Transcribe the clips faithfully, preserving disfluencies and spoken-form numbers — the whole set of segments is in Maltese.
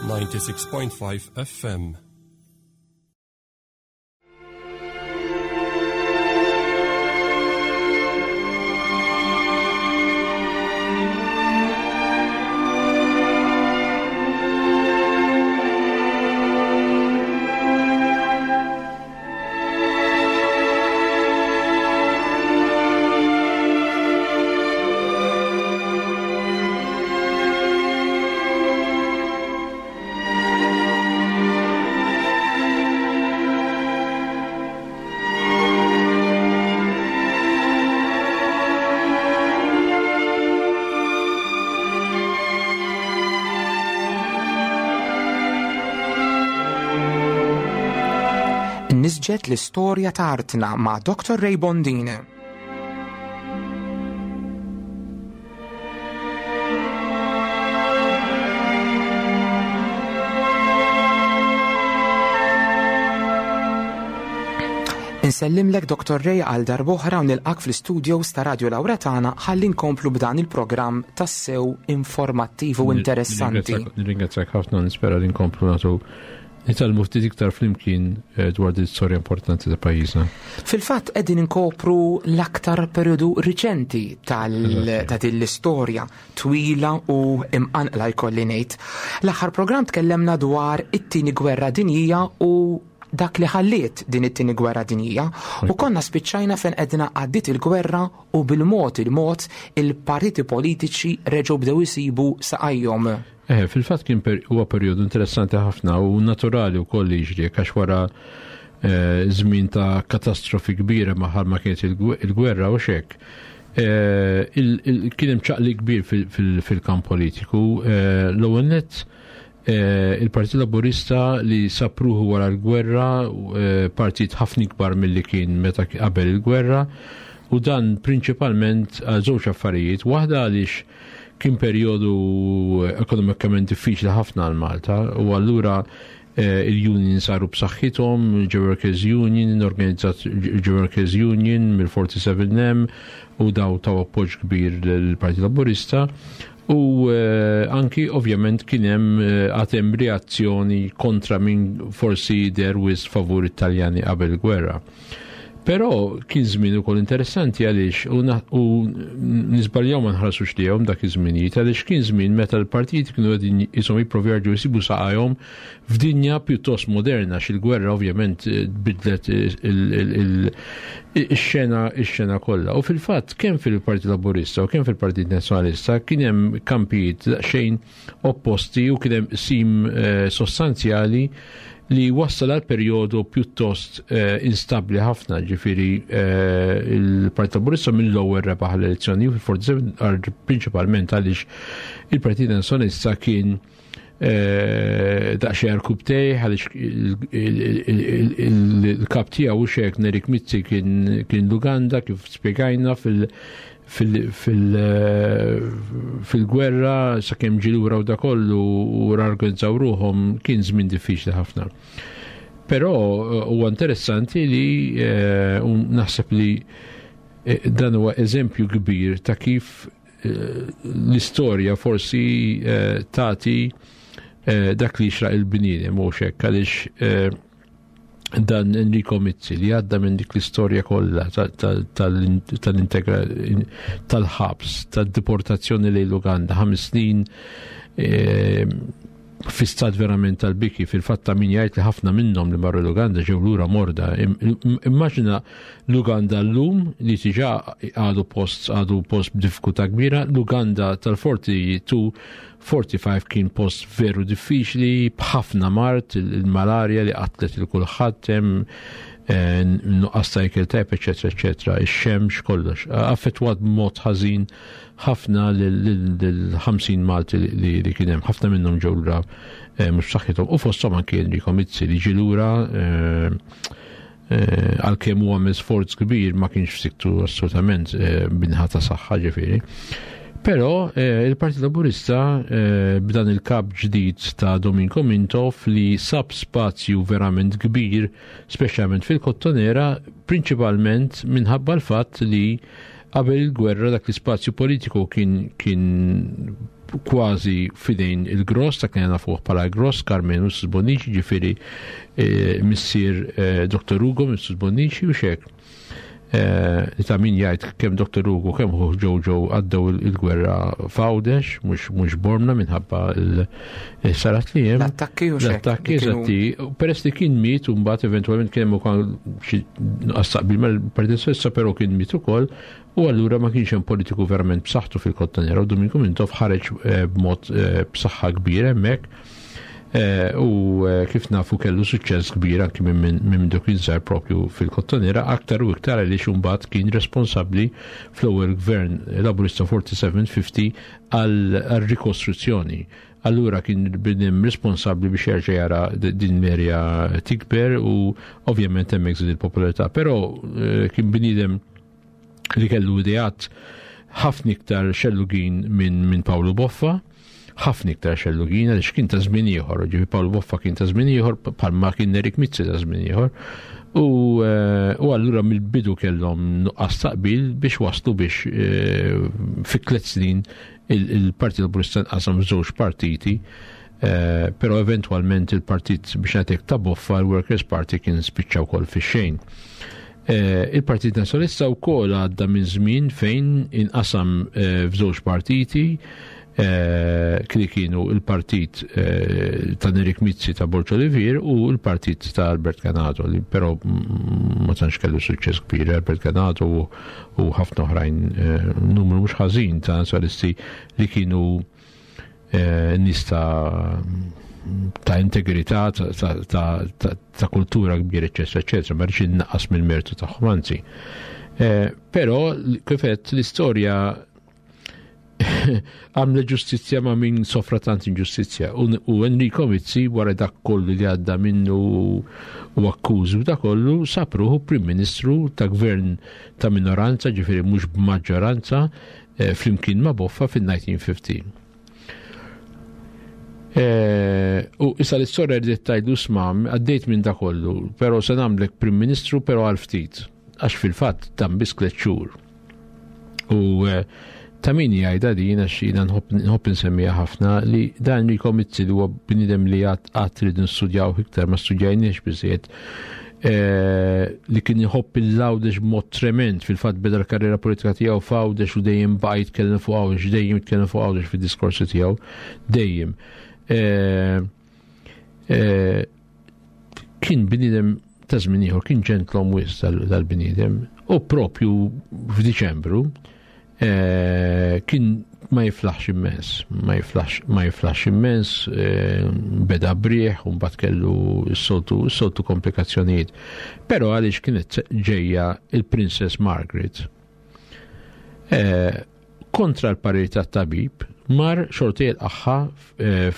ninety-six point five F M. Nisġet l-istorja ta' artna ma' Doktor Ray Bondin. Insellimlek Doktor Ray għal darb'oħra u nilqak fl-istudios ta' Radio Lauretana ħalli nkomplu b'dan il-programm tassew informattiv u interessanti. Nirringrazzjak ħafna, nispera li nkomplu nagħtu nitgħallmu ftit iktar flimkien dwar din l-istorja importanti ta' pajjiżna. Fil-fatt qegħdin inkopru l-aktar perjodu riċenti tal ta' din l-istorja twila u imqanqla jkolli ngħid. L-aħħar programm tkellemna dwar it-tieni gwerra dinjija u dak li ħalliet din it-tieni gwerra dinjija u konna spiċċajna fejn qedna għaddiet il-gwerra u bil-mod il-mod il-partiti politiċi reġgħu bdew isibu saqajhom. Eh, fil-fatt kien per, huwa perjodu interessanti ħafna u naturali wkoll li jiġri għax wara eh, żmien ta' katastrofi kbira maħal ma kienet il-gwerra u xek. Eh, kien hemm ċaqli kbir fil-kamp politiku. Eh, l-ewwel nett eh, il-Partit Laburista li sapruħu wara l-gwerra, eh, partit ħafna ikbar milli kien meta qabel il-gwerra, u dan prinċipalment għal żewġ affarijiet. Waħda għaliex kien perjodu ekonomikament diffiċli ħafna għal Malta u allura eh, il-union saru b'saħħithom, il-Workers Union, organizzat il-Workers Union mill-forty-seven M u daw taw appoġġ kbir lill-Partit Laburista u eh, anki ovvjament kien hemm eh, għad hemm reazzjoni kontra min forsi der wis favur Italjani qabel il-gwerra. Però kien żmien ukoll interessanti għaliex u, u nisbaljaw ma nħarsux lihom dak iż-żminijiet għaliex kien żmien meta l-partiti kienu qegħdin ishom jipprovjaw jerġgħu jsibu saqajhom f'dinja pjuttost moderna għax il-gwerra ovvjament bidlet ix-xena ix-xena kollha. U fil-fatt kemm fil-Partit Laburista u kemm fil-Partit Nazzjonalista kien hemm kampijiet daqsxejn opposti u kien hemm sim eh, sostanzjali li wassal għal perjodu pjuttost eh, instabli ħafna, ġifieri eh, il-Partit Laburista mill-ewwel rebaħ l-elezzjoni u fil-forty-seven prinċipalment għaliex il-Partit Nazzjonalista kien eh, daqsxejn arkubtej għaliex il-kap tiegħu u xek Nerik Mizzi kien l-Uganda kif spjegajna fil- fil-gwerra sakemm ġie lura u da kollu u rorganizzaw ruħhom kien żmien diffiċli ħafna. Però huwa interessanti li u naħseb li dan huwa eżempju kbir ta' kif l-istorja forsi tagħti dak li jixraq il-bniedem u hekk għaliex dan Enrico Mizzi li għadda minn dik l-istorja kollha tal-integra tal-ħabs, tad-deportazzjoni lejn l-Uganda, ħames snin e, fi stat verament tal-biki, fil-fatt ta' min jgħid li ħafna minnhom li marru l-Uganda ġew lura morda. Immaġina l-Uganda llum li diġà għadu post għadu post b'diffikultà kbira, l-Uganda tal-forty-two forty-five kien post veru diffiċli, b'ħafna mard, il-malarja li qatlet il kulħadd hemm, nuqqas ta' ikel tajjeb, eċetera, eċetera, ix-xemx, kollox. Affettwat b'mod ħażin ħafna lil ħamsin Malti li kien hemm, ħafna minnhom ġew lura mhux b'saħħithom, u fosthom anki Enrico Mizzi li ġie lura għalkemm huwa għamel sforz kbir ma kienx f'siktu assolutament b'inħa ta' saħħa ġifieri. Però eh, il-Partit Laburista eh, b'dan il-kap ġdid ta' Dominko Mintoff li sab spazju verament kbir, speċjalment fil-Kottonera, prinċipalment minħabba l-fatt li qabel il-gwerra dak l-ispazju politiku kien, kien kważi fidejn il-Gross, ta' kien nafuh bħala Gross, Karmenu Mifsud Bonnici, ġifieri missier Doktor Ugo Mifsud Bonnici u xek. Li ta' min jgħid kemm Doktor Ugo kemm hu Jojo għaddew il-gwerra f'Għawdex, mhux Bormla minħabba l-sarat li hemm. L-attakki u xek. L-attakki, eżatti. Peress li kien miet u mbagħad eventwalment kien hemm ukoll xi nuqqas taqbil mal-Partit Soċjalista, però kien miet ukoll, u allura ma kienx hemm politiku verament b'saħħtu fil-Kottonera, u Duminku Mintoff ħareġ b'mod b'saħħa kbira hemmhekk. U kif nafu kellu suċċess kbir anki minn mindu kien żgħar propju fil-Kottonera, aktar u iktar għaliex imbagħad kien responsabbli fl-ewwel gvern Laburista forty-seven fifty għal-rikostruzzjoni. Allura kien bniem responsabbli biex jerġa' jara din l-erja tikber u ovvjament hemmhekk żied il-popolarità. Però kien bniedem li kellu ideat ħafna iktar xellugin minn min Pawlu Boffa, ħafna iktar xellugin għaliex kien ta' żmien ieħor, ġifieri Pawlu Boffa kien ta' żmien ieħor bħalma kien Nerik Mizzi ta' żmien ieħor. U, u allura mill-bidu kellhom nuqqas taqbil biex waslu biex fi tliet snin il-Partit Laburista nqasam f'żewġ partiti, però eventwalment il-partit biex ngħidlek ta' Boffa, il-Workers' Party, kien spiċċa wkoll fix-xejn. Il-Partit Nazzjonalista wkoll għadda minn żmien fejn inqasam f'żewġ partiti, li kienu il-partit ta' Nerik Mizzi ta' Borg Olivier u il-partit ta' Albert Ganado, li però ma tantx kellu suċċess kbir. Albert Ganado u ħafna oħrajn, numru mhux ħażin ta' nazzjonalisti li kienu nies ta' ta' integrità, ta' kultura kbira, eċċetera, eċċetera, ma rridx innaqqas mill-mertu tagħhom, anzi. Però kif għedt, l-istorja għamle ġustizzja ma' min sofra tant inġustizzja. U Enrico Mizzi wara dak kollu li għadda minnu u akkużi u dak kollu sab ruħu Prim Ministru ta' gvern ta' minoranza, ġifieri mhux b'maġġoranza, flimkien ma' Boffa fin-nineteen fifty. U issa l-istorja li tajdu smam, għaddejt minn dak kollu, però se nagħmlek Prim Ministru però għal ftit, għax fil-fatt dan biss tliet xhur. U ta' min jgħidha din, għax jiena nħobb nsemmiha ħafna, li dan Enrico Mizzi li huwa bniedem li għad rridu nistudjaw iktar, ma studjajniex biżejjed, li kien jħobb il-Għawdex b'mod trement, fil-fatt beda l-karriera politika tiegħu f'Għawdex u dejjem baqa' jitkellem fuq Għawdex, dejjem jitkellem fuq Għawdex fid-diskorsi tiegħu, dejjem. Kien bniedem ta' żmien ieħor, kien ġentlom wisq dal-bniedem, u propju f'Diċembru kien ma jiflaħx immens, ma jiflaħx, ma jiflaħx immens, beda brieħ u mbagħad kellu s-soltu, s-soltu komplikazzjonijiet. Però għaliex kienet ġejja il-Princess Margaret, kontra l-parir tat-tabib, mar xorti l-aħħa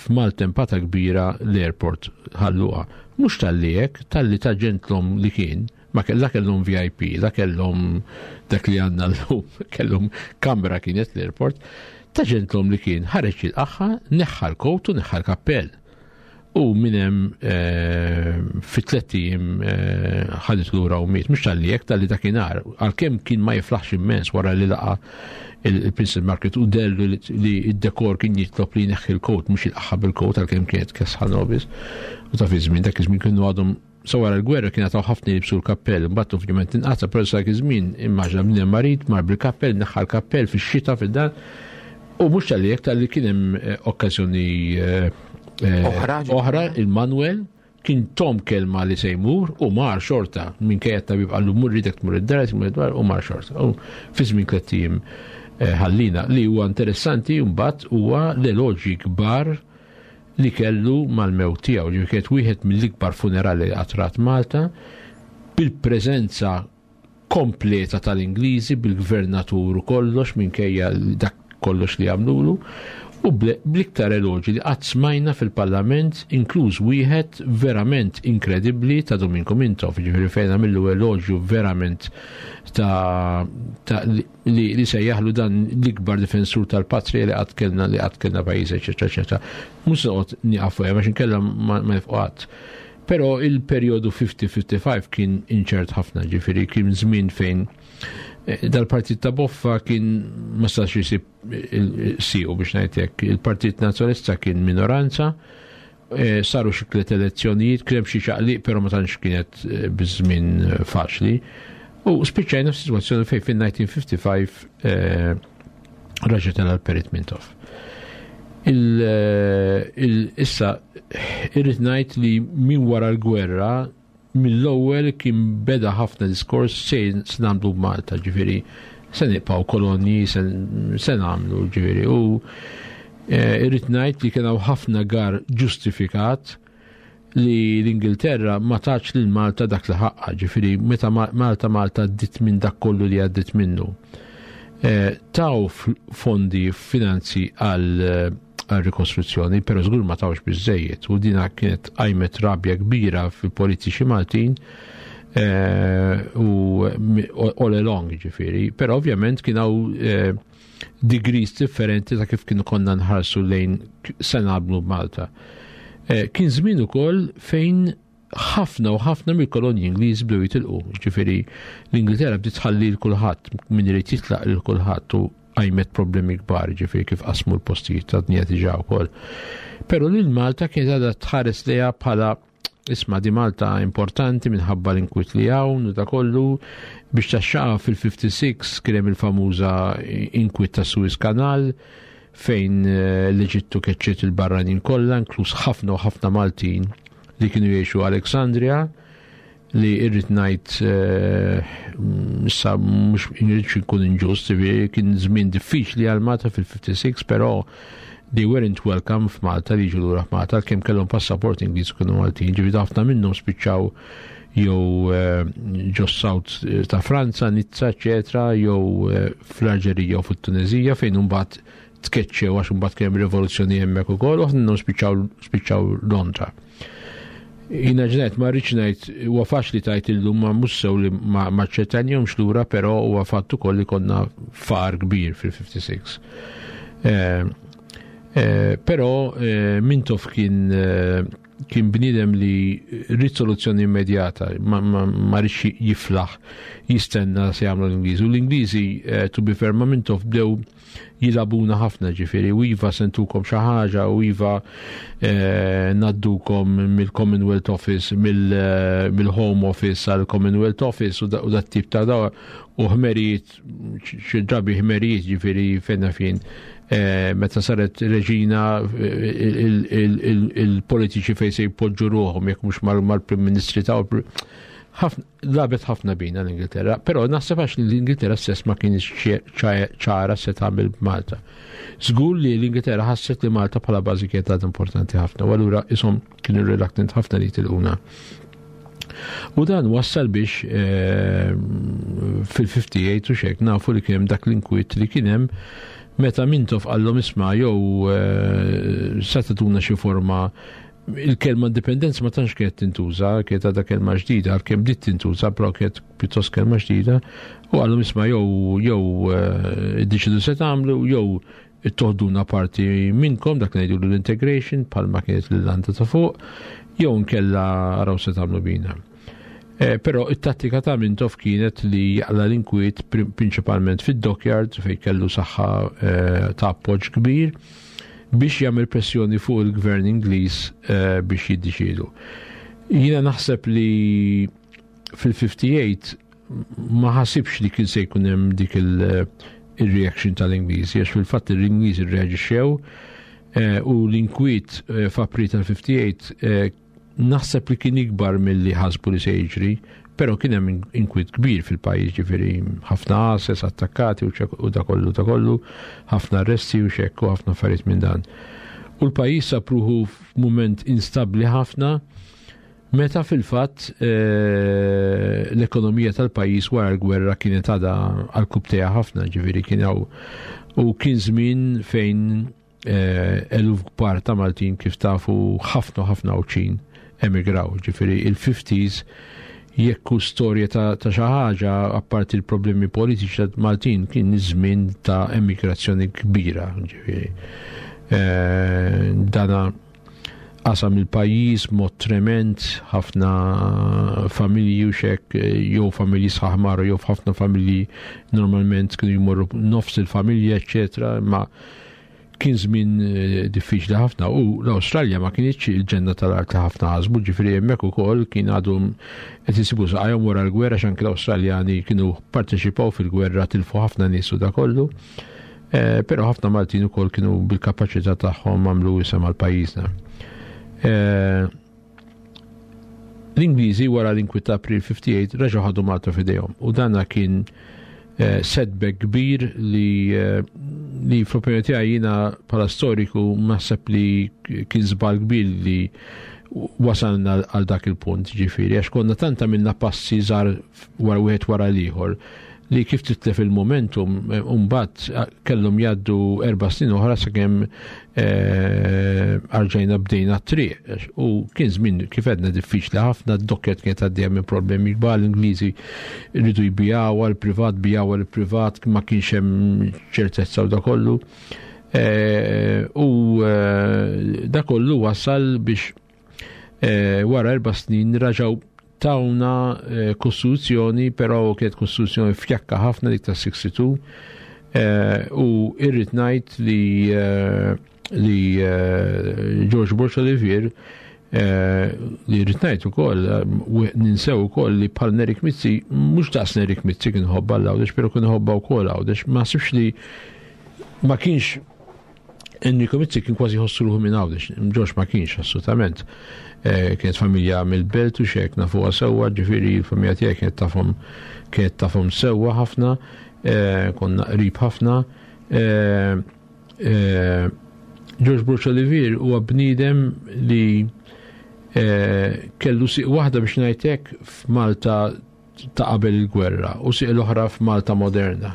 f'maltempata kbira l-airport ħalluqa. Mhux tal-li hekk, tal-li ta' ġentlom li kien, ma la kellhom V I P, la kellhom dak li għandna llum, kellhom kamra kienet l-airport, ta' ġentlom li kien ħareġ il-aħħa, neħħa l-kowt u neħħa l-kappell. U minn hemm fi tliet ijiem ħadet lura u miet. Mhux tal-li hekk, tal-li dakinhar, għalkemm kien ma jiflaħx immens wara li laqa il-Princess Margaret u dellu li d-dekor kien jitlob li jneħħi l-kowt, mhux il-aħħa bil-kowt għalkemm kienet kesħa nobis. U ta' fi żmien, dak iż-żmien kienu għadhom sa wara l-gwerra kien għataw ħafna jilbsu l-kappell, mbagħad ovvjament inqata', però sa dak iż-żmien immaġna minn hemm marid, mar bil-kappell, neħħa l-kappell fix-xita fid-dar. U mhux tal-li hekk, tal-li kien hemm okkażjoni Oħra, oħra, il-Manuel kien tom kelma li se jmur u mar xorta, minkejja t-tabib qallu mur ridek tmur id-dar, tmur id-dar u mar xorta. U fi żmien tliet ijiem ħallina. Li huwa interessanti mbagħad huwa l-eloġi kbar li kellu mal-mewt tiegħu, ġifieri kienet wieħed mill-ikbar funerali li qatt Malta, bil-preżenza kompleta tal-Ingliżi, bil-gvernatur u kollox, minkejja dak kollox li għamlulu, u bl-iktar eloġi li qatt smajna fil-Parlament, inkluż wieħed verament inkredibbli ta' Duminku Mintoff, ġifieri fejn għamillu eloġju verament ta', ta' li, li sejjaħlu dan l-ikbar difensur tal-patrija li qatt kellna, li qatt kellna pajjiż, eċetera, eċetera. Mhux se noqgħod nieqaf fuqha għax inkella ma, ma nifqu qatt. Però il-perjodu fifty fifty-five kien inċert ħafna, ġifieri kien żmien fejn Dal-partit ta' Boffa kien ma stax jisib siqu biex ngħid. Il-Partit Nazzjonalista kien minoranza, saru xi tliet elezzjonijiet, kien hemm xi ċaqliq, però ma tantx kienet biż-żmien faċli. U spiċċajna f'sitwazzjoni fejn fin-elf disa' mija u ħamsa u ħamsin raġa' tela' l-Perit Mintoff. Issa irrid ngħid li minn wara l-gwerra mill-ewwel kien beda ħafna diskors se nagħmlu b'Malta, ġifieri se nibqgħu kolonji, se nagħmlu, ġifieri, u irrid ngħid li kien hawn ħafna gar ġustifikat li l-Ingilterra ma tatx lil Malta dak li ħaqqa, ġifieri meta Malta Malta għaddit minn dak kollu li għaddit minnu. Taw fondi finanzi għal rikostruzzjoni, pero żgur ma tawx biżejjed, u dina kienet qajmet rabja kbira fil-politiċi Maltin u all along, ġifieri, pero ovvjament kien hawn degrees differenti ta' kif kienu konna nħarsu lejn se nagħmlu b'Malta. Kien żmien ukoll fejn ħafna u ħafna mill-kolonji Ingliż bdew jitilqu, ġifieri l-Ingilterra bdiet tħalli lil kulħadd, min irid jitlaq lil kulħadd, u qajmet problemi kbar, ġifieri kif qasmu l-postijiet ta' dinja diġà wkoll. Però lil Malta kienet għadha tħares lejha bħala isma' di Malta importanti minħabba l-inkwiet li hawn u da kollu. Biex taxxaqa fil-ħamsa u ħamsin kien hemm il-famuża inkwiet ta' Suez Canal fejn l-Eġittu keċċiet il-barranin kollha, inkluż ħafna u ħafna Maltin li kienu jgħixu Alexandria, li irrid ngħid issa mhux irridx inkun inġust, kien żmien diffiċli għal Malta fil-ħamsa u ħamsin, però they weren't welcome f'Malta li jiġu lura f'Malta, kemm kellhom passaport Ingliż kienu Maltin, ġifieri ħafna minnhom spiċċaw jew ġo South ta' Franza, Nizza, eċetera, jew fl-Alġerija u fit-Tunezija fejn imbagħad tkeċċew għax imbagħad kien hemm rivoluzzjoni hemmhekk ukoll, u ħafna minnhom spiċċaw Londra. Jiena ġnet, ma rridx ngħid, huwa faċli tajt illum ma mhux sew li ma ċċettanjhomx lura, però huwa fatt ukoll li konna far kbir fil-ħamsa u ħamsin. Però Mintoff kien kien bniedem li rrid soluzzjoni immedjata, ma rridx jiflaħ jistenna se jagħmlu l-Ingliżi. U l-Ingliżi, to be fair, ma Mintoff bdew jilagħbuna ħafna, ġifieri, u iva sentukom xi ħaġa, u iva naddukom mill-Commonwealth Office, mill-Home Office għal Commonwealth Office, u dat tip ta' daw, u ħmerijiet, xi drabi ħmerijiet, ġifieri fejna fin. Meta saret reġina, il-politiċi fejn se jpoġġu ruħhom jekk mhux mal-Prim Ministri ta' labet ħafna bina l-Ingilterra, però naħseb għax l-Ingilterra stess ma kienx ċara se tagħmel b'Malta. Żgur li l-Ingilterra ħasset li Malta bħala bażi kienet għad importanti ħafna, u allura ishom kienu reluctant ħafna li jitilquna. U dan wassal biex fil-ħamsa u ħamsin u xek nafu li kien hemm dak l-inkwiet li kien hemm meta Mintoff qallhom isma' jew se tagħtuna xi forma. Il-kelma indipendenza ma tantx kienet tintuża, kienet għadha kelma ġdida, għalkemm bdiet tintuża, però kienet pjuttost kelma ġdida, u qallhom isma' jew jew iddeċidu se tagħmlu, jew toħduna parti minnkom, dak ngħidu l-integration bħalma kienet l-Irlanda ta' fuq, jew nkella araw se tagħmlu bina. Però it-tattika ta' Mintoff kienet li jaqla l-inkwiet prinċipalment fid-dockyard fejn kellu saħħa ta' appoġġ kbir biex jagħmel pressjoni fuq il-gvern Ingliż biex jiddeċiedu. Jiena naħseb li fil-ħamsa u ħamsin ma ħasibx li kien se jkun hemm dik il-reaction tal-Ingliżi, għax fil-fatt l-Ingliżi rreaġixxew u l-inkwiet f'April tal-ħamsa u ħamsin naħseb li kien ikbar milli ħasbu li se jiġri, però kien hemm inkwiet kbir fil-pajjiż, ġifieri ħafna għases attakkati u da kollu da kollu, ħafna arresti u xekk u ħafna affarijiet minn dan. U l-pajjiż sab ruħu f'mument instabbli ħafna meta fil-fatt l-ekonomija tal-pajjiż wara l-gwerra kienet għadha għal kubtejha ħafna, ġifieri kien hawn u kien żmien fejn eluf kbar ta' Maltin kif tafu ħafna ħafna Għawdxin emigraw, ġifieri il-fifties jekk hu storja ta' xi ħaġa apparti l-problemi politiċi ta' Maltin kien iż-żmien ta' emigrazzjoni kbira, ġifieri. Dana qasam il-pajjiż mod trement, ħafna familji u xek, jew familji sħaħ marru, jew ħafna familji normalment kienu jmorru nofs il-familja, eċetera, ma kien żmien diffiċli ħafna u l-Awstralja ma kienx il-ġenna tal-art li ħafna ħasbu, ġifieri hemmhekk ukoll kien għadhom qed isibu saqajhom wara l-gwerra, x'anke l-Awstraljani kienu parteċipaw fil-gwerra, tilfu ħafna nies u da kollu. Però ħafna Maltin ukoll kienu bil-kapaċità tagħhom għamlu isem għal pajjiżna. L-Ingliżi wara l-inkwiet ta' April ħamsa u ħamsin reġgħu ħadu Malta f'idejhom u dana kien setback kbir li li fl-opinjoni tiegħi jiena bħala storiku naħseb li kien żball kbir li wasalna għal dak il-punt, ġifieri, għax konna tant għamilna passi żgħar wara wieħed wara l-ieħor li kif titlef il-momentum mbagħad kellhom jgħaddu erba' snin oħra sakemm arġajna bdejna t-triq. U kien żmien kif għedna diffiċli ħafna, d-dokket kienet għaddejja minn problemi kbar, l-Ingliżi rridu jbijaw għal-privat, bijaw għal-privat, ma kienx hemm ċertezza u da kollu. U da kollu wasal biex wara erba' snin raġaw tawna kostituzzjoni, però kienet kostituzzjoni fjakka ħafna dik ta' sitta u sittin, u irrid ngħid li li George Borg Olivier, li rrid ngħid ukoll, ninsew ukoll li bħal Nerik Mizzi, mhux daqs Nerik Mizzi kien ħobba l-Għawdex, però kien ħobba wkoll Għawdex, ma ħsibx li ma kienx Enrico Mizzi kien kważi ħossu ruħu minn Għawdex, George ma kienx assolutament. Kienet familja mill-belt u xek nafuha sewwa, ġifieri l-familja tiegħi kienet tafhom, kienet tafhom sewwa ħafna, konna qrib ħafna. George Borg Olivier huwa bniedem li kellu siq waħda biex ngħidlek f'Malta ta' qabel il-gwerra u siq l-oħra f'Malta moderna.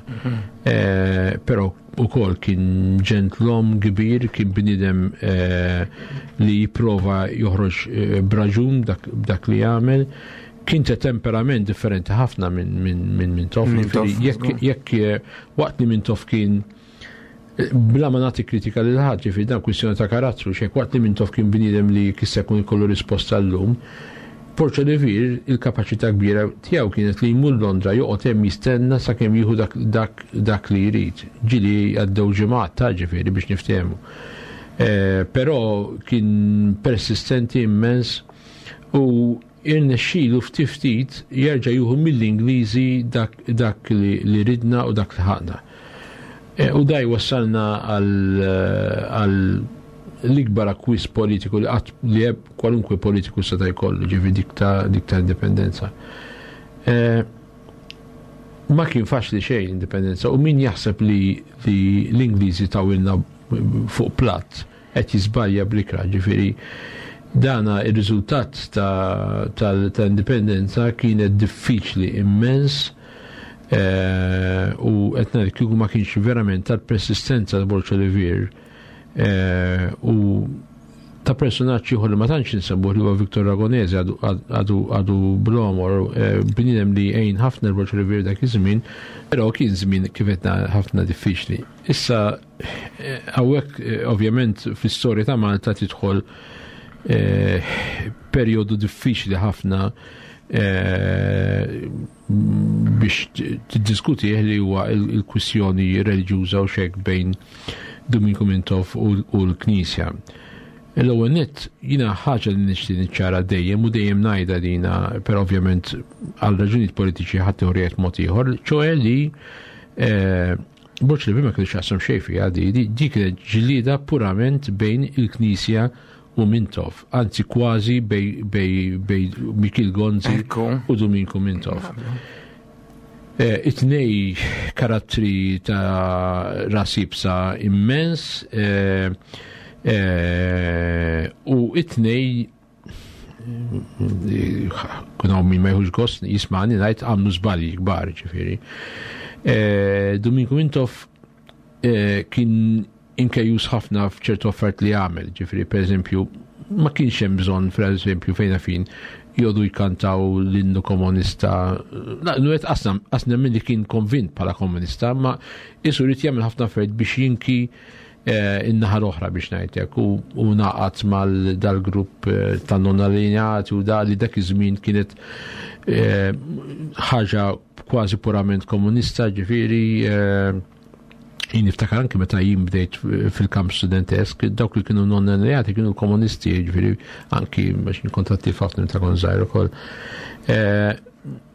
Però ukoll kien ġentlom kbir, kien bniedem li jipprova joħroġ b'raġun dak li jagħmel. Kien ta' temperament differenti ħafna minn Mintoff. Jekk waqt li Mintoff kien, bla ma nagħti kritika lil ħadd, ġifieri dan kwistjoni ta' karattru, xejn, waqt li Mintoff kien bniedem li kissa jkun ikollu risposta llum, Borg Olivier il-kapaċità kbira tiegħu kienet li jmur Londra joqgħod hemm jistenna sakemm jieħu dak, dak, dak li jrid. Ġieli għaddew ġimgħat ta' ġifieri biex niftehmu. Però kien persistenti immens u irnexxielu ftit ftit jerġa' jieħu mill-Ingliżi dak, dak li, li ridna u dak li ħaqna. U daj wassalna għal l-ikbar akkwist politiku li qatt li kwalunkwe politiku seta' jkollu, ġifieri dik ta' dik ta' indipendenza. Ma kien faċli xejn l-indipendenza, u min jaħseb li, li l-Ingliżi tawilna fuq platt qed jiżbalja bl-ikra, ġifieri dana ir-riżultat ta', ta, ta' indipendenza kienet diffiċli immens. U qed ngħid kieku ma kienx verament tal-persistenza ta' Borg Olivier u ta' personaġġ ieħor li ma tantx insemmuh li huwa Victor Ragonese, għadu għadu blomor, bniedem li għejn ħafna l-Borg Olivier dak iż-żmien, però kien żmien kif qed ħafna diffiċli. Issa hawnhekk ovvjament fl-istorja ta' Malta tidħol perjodu diffiċli ħafna biex tiddiskutih li huwa il-kwistjoni reliġjuża u xek bejn Duminku Mintoff u l-Knisja. L-ewwel nett jiena ħaġa li nixtieq niċċara dejjem u dejjem ngħidha dina, però ovvjament għal raġunijiet politiċi ħadd ieħor mod ieħor, ċoe li Borg Olivier ma kellux x'jaqsam xejn fiha di, dik kienet ġlieda purament bejn il-Knisja u Mintoff, anzi kważi bej, bej, bej Mikiel Gonzi u Duminku Mintoff. It-tnej karattri ta' rasibsa immens, u it-tnej kun hawn min ma jħux gost jismani ngħid għamlu żbalji kbar, ġifieri. Duminku Mintoff kien inkejjus ħafna f'ċertu affarijiet li għamel, ġifieri pereżempju ma kienx hemm bżonn, pereżempju fejn fin jodu jkantaw l-innu komunista. La, nu qed asna, asna minn li kien konvint bħala komunista, ma isu rrid jagħmel ħafna affarijiet biex jinki in-naħa l-oħra biex ngħidlek u naqat mal dal-grupp ta' non allineati u da li dak iż-żmien kienet ħaġa kważi purament komunista, ġifieri jien niftakar anke meta jien bdejt fil-kamp studentesk, dawk li kienu non allineati kienu komunisti, ġifieri anki biex nkontatti ħafna meta kont żgħir ukoll.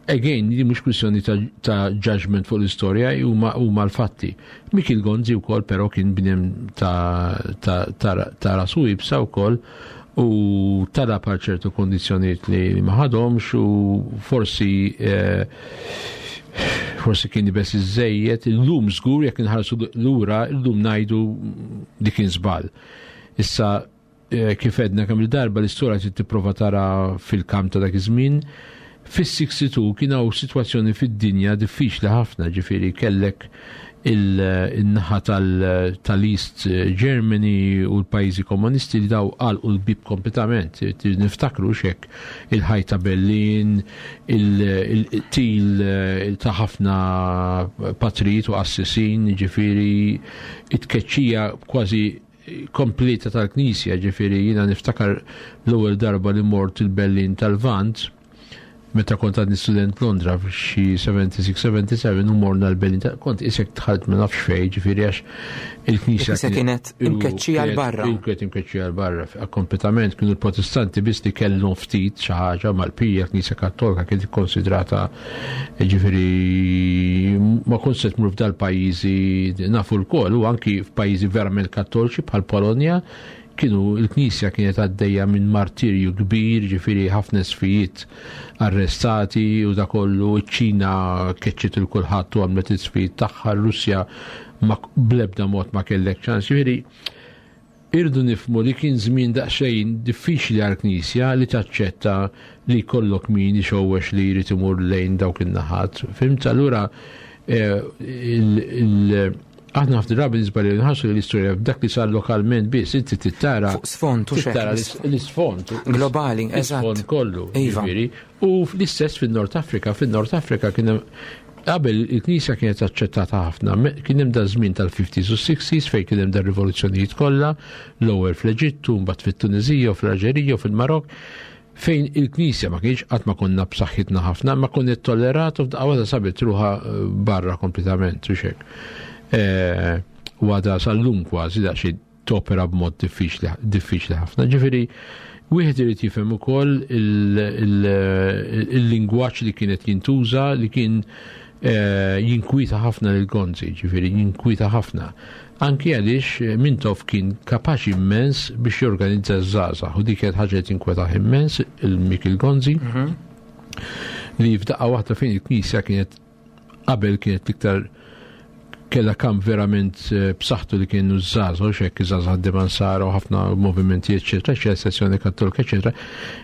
Again, li mhux kwistjoni ta', ta judgment fuq l-istorja, huma huma l-fatti. Mikiel Gonzi wkoll però kien bniedem ta', ta, ta, ta' rasu iebsa wkoll u talab għal ċertu kondizzjonijiet li ma ħadhomx u forsi eh, forsi kien iebes iżżejjed, illum żgur jekk inħarsu lura, illum ngħidu li kien żball. Issa eh, kif għedna kemm il-darba, l-istorja trid tipprova tara fil-kamp ta' dak iż-żmien. Fis-sitta u sittin kien hawn sitwazzjoni fid-dinja diffiċli ħafna, ġifieri kellek il-naħa tal-East Germany u l-pajjiżi komunisti li daw għalqu l-bib kompletament. Niftakru xek il-ħajt ta' Berlin, il-qtil ta' ħafna patrijiet u qassisin, ġifieri it-tkeċċija kważi kompleta tal-Knisja, ġifieri jiena niftakar l-ewwel darba li mort il-Berlin tal-Lvant, meta kont għadni student Londra f'xi sebgħa u sebgħin sebgħa u sebgħin u morna l-Berlin, kont isek dħalt ma nafx fej, ġifieri għax il-Knisja Il-Knisja kienet imkeċċija 'l barra. Kienet imkeċċija 'l barra, kompletament. Kienu l-Protestanti biss li kellhom ftit xi ħaġa mal-pija, Knisja Kattolika kienet ikkonsidrata, ġifieri ma kontx se tmur f'dal-pajjiżi, nafu lkoll, u anki f'pajjiżi verament kattoliċi bħal Polonja kienu il-Knisja kienet għaddejja minn martirju kbir, ġifieri ħafna isqfijiet arrestati u da kollu, ċ-Ċina keċċiet lil kulħadd u għamlet isqfijiet tagħha, Russja ma blebda mod ma kellek ċans. Ġifieri irdu nifhmu li kien żmien daqsxejn diffiċli għall-Knisja li taċċetta li jkollok min ixowwex li jrid imur lejn dawk in-naħat. Fhimt? Allura eh, il- il- aħna ħafna drabi nisbaljaw nħarsu l-istorja b'dak li sar lokalment biss, inti tittara Fuq sfond u tittara xek. l-isfond. Globali, L-isfond eżatt. kollu. Iva. Ġifieri. U l-istess fin-Nord Afrika, fin-Nord Afrika kien hemm qabel il-Knisja kienet aċċettata ħafna, me- kien hemm da żmien tal-fifties u sixties fejn kien hemm da rivoluzzjonijiet kollha, l-ewwel fl-Eġittu, mbagħad fit-Tunizija u fl-Alġerija u fil-Marok, fejn il-Knisja ma kienx qatt ma konna b'saħħitna ħafna, ma konna tollerat u f'daqqa waħda sabet ruħha eh, barra kompletament u xek. Eh, U għada sal-lum kważi daqsxejn topera b'mod diffiċli diffiċli ħafna. Ġifieri, wieħed irid jifhem ukoll il- il- il-lingwaġġ li kienet jintuża li kien eh, jinkwita ħafna lil Gonzi, ġifieri jinkwita ħafna. Anki għaliex eh, Mintoff kien kapaċi immens biex jorganizza ż-żgħażagħ u dik kienet ħaġa li tinkwetah immens il-Mikiel Gonzi, li f'daqqa waħda fejn il-Knisja kienet qabel kienet iktar kella kam verament eh, b'saħħtu li kienu żgħażagħ, u xek żgħażagħ ħaddiema Nsara u ħafna movimenti, eċetera, eċetera, sezzjoni kattolika, eċetera,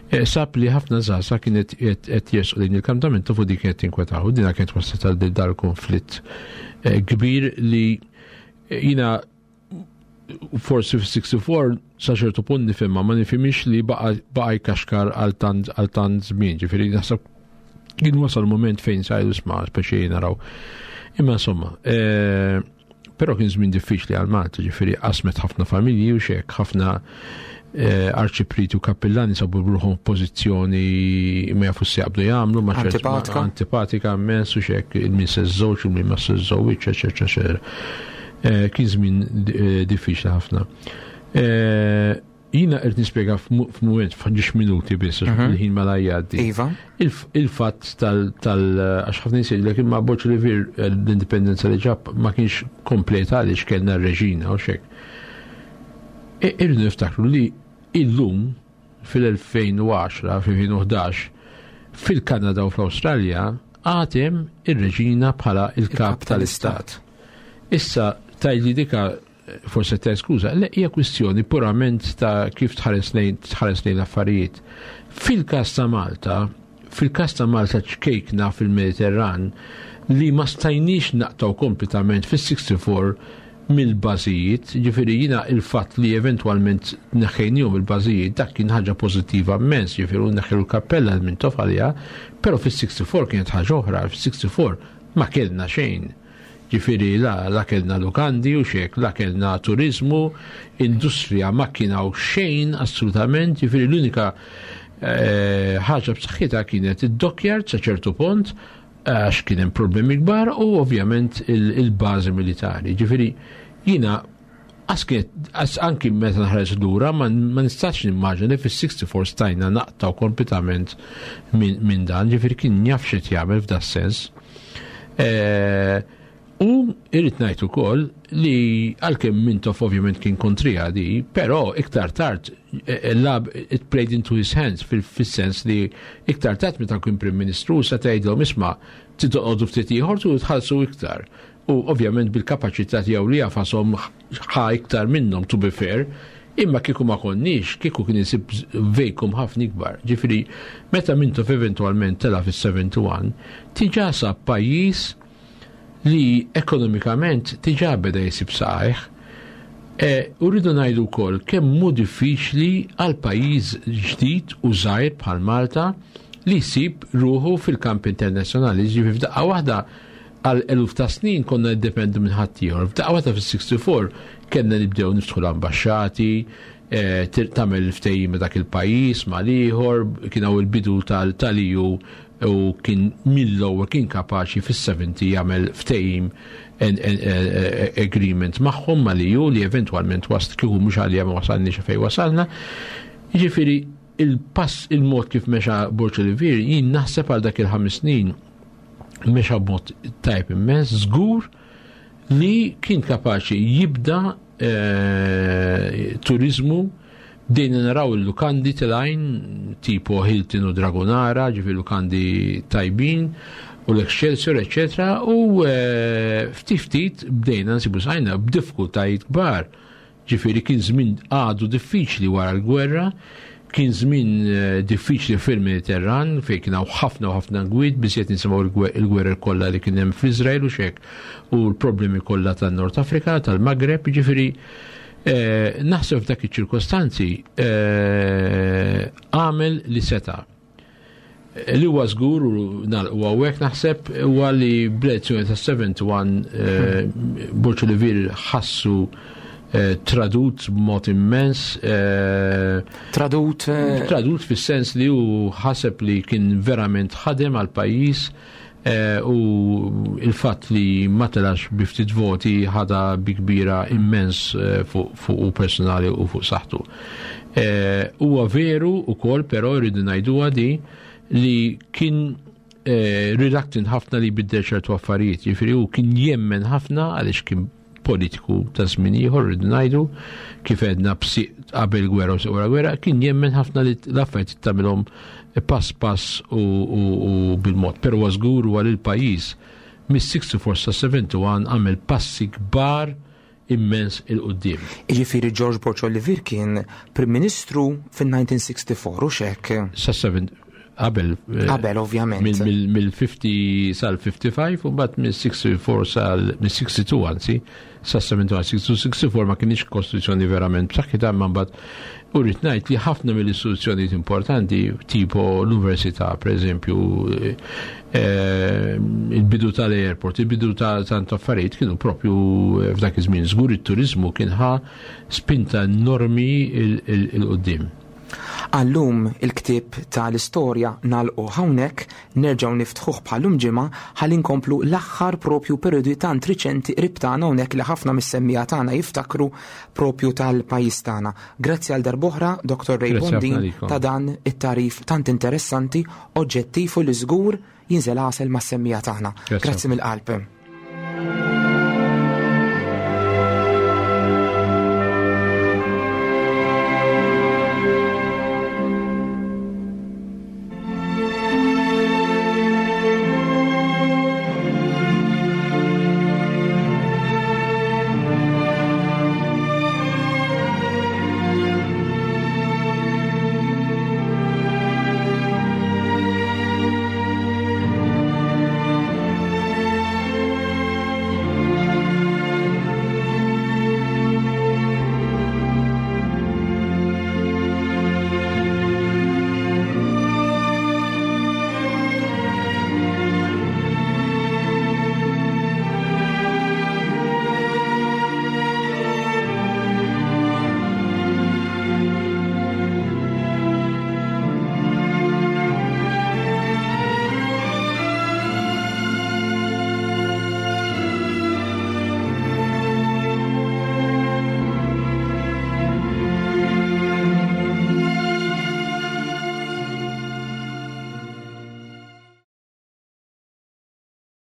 eh, sab li ħafna żgħażagħ kienet qed jersqu lejn il-kampament u dik kienet tinkwetaw. U dina kienet waslet għal dal-konflitt eh, kbir li jina forsi fis-sitta u sittin sa ċertu punt nifhimha, ma nifhimix li baqa baqa jkaxkar għal tant għal tant żmien, ġifieri naħseb kien wasal moment fejn sajdu isma' speċi naraw. Imma insomma, eh, però kien żmien diffiċli għal Malta, ġifieri qasmet ħafna familji u xek, ħafna eh, arċipriti u kappillani sabu ruħhom f'pożizzjoni ma jafu x'jaqbdu jagħmlu, ma ċert- Antipatika. Antipatika immens u xek, il-min se żżewġ, il-min ma se żżewġ, eċetera, eċetera. Eh, Kien żmien eh, diffiċli ħafna. Eh, Jina qed nispjega f'mu- f'mument f'ġiex minuti biss, għax Mhm. il-ħin ma la jgħaddi. Iva. Il- Il-fatt tal, tal għax ħafna nies jgħidulek imma Borg Olivier l-indipendenza li ġab ma kienx kompleta għaliex kellna r-reġina u xek. E- Irridu niftakru li illum fil-elfejn u għaxra, fil-elfejn u ħdax, fil-Kanada u fl-Awstralja għadhom ir-reġina bħala il-kap tal-istat. Issa tajli dika forse ta' skuża, le, hija kwistjoni purament ta' kif tħares lejn tħares lejn l-affarijiet. Fil-każ ta' Malta, fil-każ ta' Malta ċkejkna fil-Mediterran li ma stajniex naqtaw kompletament fis-sitta u sittin mill-bażijiet, ġifieri jina il-fatt li eventwalment neħħejnihom il-bażijiet, dak kien ħaġa pożittiva immens, ġifieri neħħew il-kappella minn tofalja, però fis-sitta u sittin kienet ħaġa oħra, fis-sitta u sittin ma kellna xejn. Ġifieri la, la kellna lukandi u xek, la kellna turizmu, industrija ma kien hawn xejn assolutament, ġifieri l-unika eh, ħaġa b'saħħitha kienet id-dockyard sa ċertu punt, għax kien hemm problemi kbar, u ovvjament il-bażi militari. Ġifieri jiena għas anki meta nħares lura ma nistax nimmaġina li fis-sixty-four stajna naqtaw kompletament minn dan, ġifieri kien jaf x'qed jagħmel f'da sens. U irrid ngħid ukoll li għalkemm Mintoff ovvjament kien kontrija di, però iktar tard lab it played into his hands, fis-sens li iktar tard meta kien Prim Ministru sa tgħidlhom, "Isma', titoqgħodu ftit ieħor tu tħallsu iktar." U ovvjament bil-kapaċità tiegħu li jafasom ħa iktar minnhom, to be fair, imma kieku ma konniex, kieku kien isib vacuum ħafna ikbar. Ġifieri, meta Mintoff eventualment tela fis-sebgħa u sebgħin, diġà sab pajjiż li ekonomikament diġà beda jsib saqajh. E, u rridu ngħidu wkoll kemm hu diffiċli għal pajjiż ġdid u żgħir bħal Malta li jsib ruħu fil-kamp internazzjonali. Ġifieri f'daqqa waħda, għal eluf ta' snin konna niddependu minn ħaddieħor. F'daqqa waħda fis-sixty-four kellna nibdew niftħu l-ambaxxati, eh, tagħmel ftehim dak il-pajjiż mal-ieħor, kien hawn il-bidu tal-E U u kien mill-ewwel kien kapaċi fis-sebgħin jagħmel ftehim, agreement magħhom mal-E U li eventwalment wasl kieku mhux għalija ma wasalniex fejn wasalna. Jiġifieri il-pass, il-mod kif mexa Borg Olivier, jien naħseb għal dak il-ħames snin mexa b'mod tajb immens, żgur li kien kapaċi jibda eh, turizmu. Bdejna naraw il-lukandi telgħin tipo Hilton u Dragonara, ġifieri lukandi tajbin, u l-Excelsior, eccetera. U eh, ftit ftit bdejna nsibu saqajna b'diffikultajiet kbar. Ġifieri kien żmien għadu diffiċli wara l-gwerra, kien żmien eh, diffiċli fil-Mediterran fejn kien hawn ħafna u ħafna gwid, biżjed nisimgħu il-gwerra kollha li kien hemm fl-Iżrael u xek u l-problemi kollha tan-Nord Afrika, tal-Maghreb, ġifieri eh, naħseb f'dak iċ-ċirkostanzi eh, għamel li seta'. Li huwa żgur u nagħlqu hawnhekk naħseb huwa li bl-elezzjoni ta' sebgħa u sebgħin Borg Olivier ħassu eh, tradut b'mod immens. Eh, Tradut? eh, Tradut fis-sens li hu ħaseb li kien verament ħadem għal pajjiż u il-fatt li ma telax bi ftit voti ħada bi kbira immens fuq fuq u personali u fuq saħħtu. Huwa veru ukoll, però rridu ngħiduha di, li kien reluctant ħafna li jbiddel ċertu affarijiet, jiġifieri hu kien jemmen ħafna għaliex kien politiku ta' żmien ieħor, rridu ngħidu, kif għedna, qabel gwerra u wara gwerra, kien jemmen ħafna li l-affarijiet tagħmilhom pass pass u, u, u bil-mod. Però huwa żgur huwa li l-pajjiż mis-sixty-four sa sebgħa u sebgħin għamel passi kbar immens 'il quddiem. Jiġifieri George Borg Olivier kien Prim Ministru fin-elf disa' mija u sitta u ħamsin u xek. Sa sebgħa qabel. eh, Qabel, ovvjament. Mill-ħamsin sal-ħamsa u ħamsin u mbagħad mill-sixty-four sal mill-sixty-two anzi sa sebgħa u sebgħin. sixty-two sixty-four ma kienx kostituzzjoni verament b'saħħitha, imma mbagħad u rrid ngħid li ħafna mill-istituzzjonijiet importanti tipo l-università, pereżempju, eh, il-bidu tal-airport, il-bidu ta' tant affarijiet kienu propju f'dak iż-żmien. Żgur it-turizmu kien ħa spinta enormi 'il quddiem. Għallum il-ktib tal-istorja nagħlqu hawnhekk, nerġgħu niftħuh bħallum ġimgħa ħalli nkomplu l-aħħar propju periodi tant riċenti qrib tagħna hawnhekk li ħafna mis-semmiegħa tagħna jiftakru propju tal-pajjiż tagħna. Grazzi għal darb'oħra, Doktor Ray Grazzi ħafna Bondin, lilkom. ta' dan it-tarif tant interessanti, oġġettiv u li żgur jinżel għasel mas-semmiegħa tagħna. Grazzi Grazzi mill-qalb.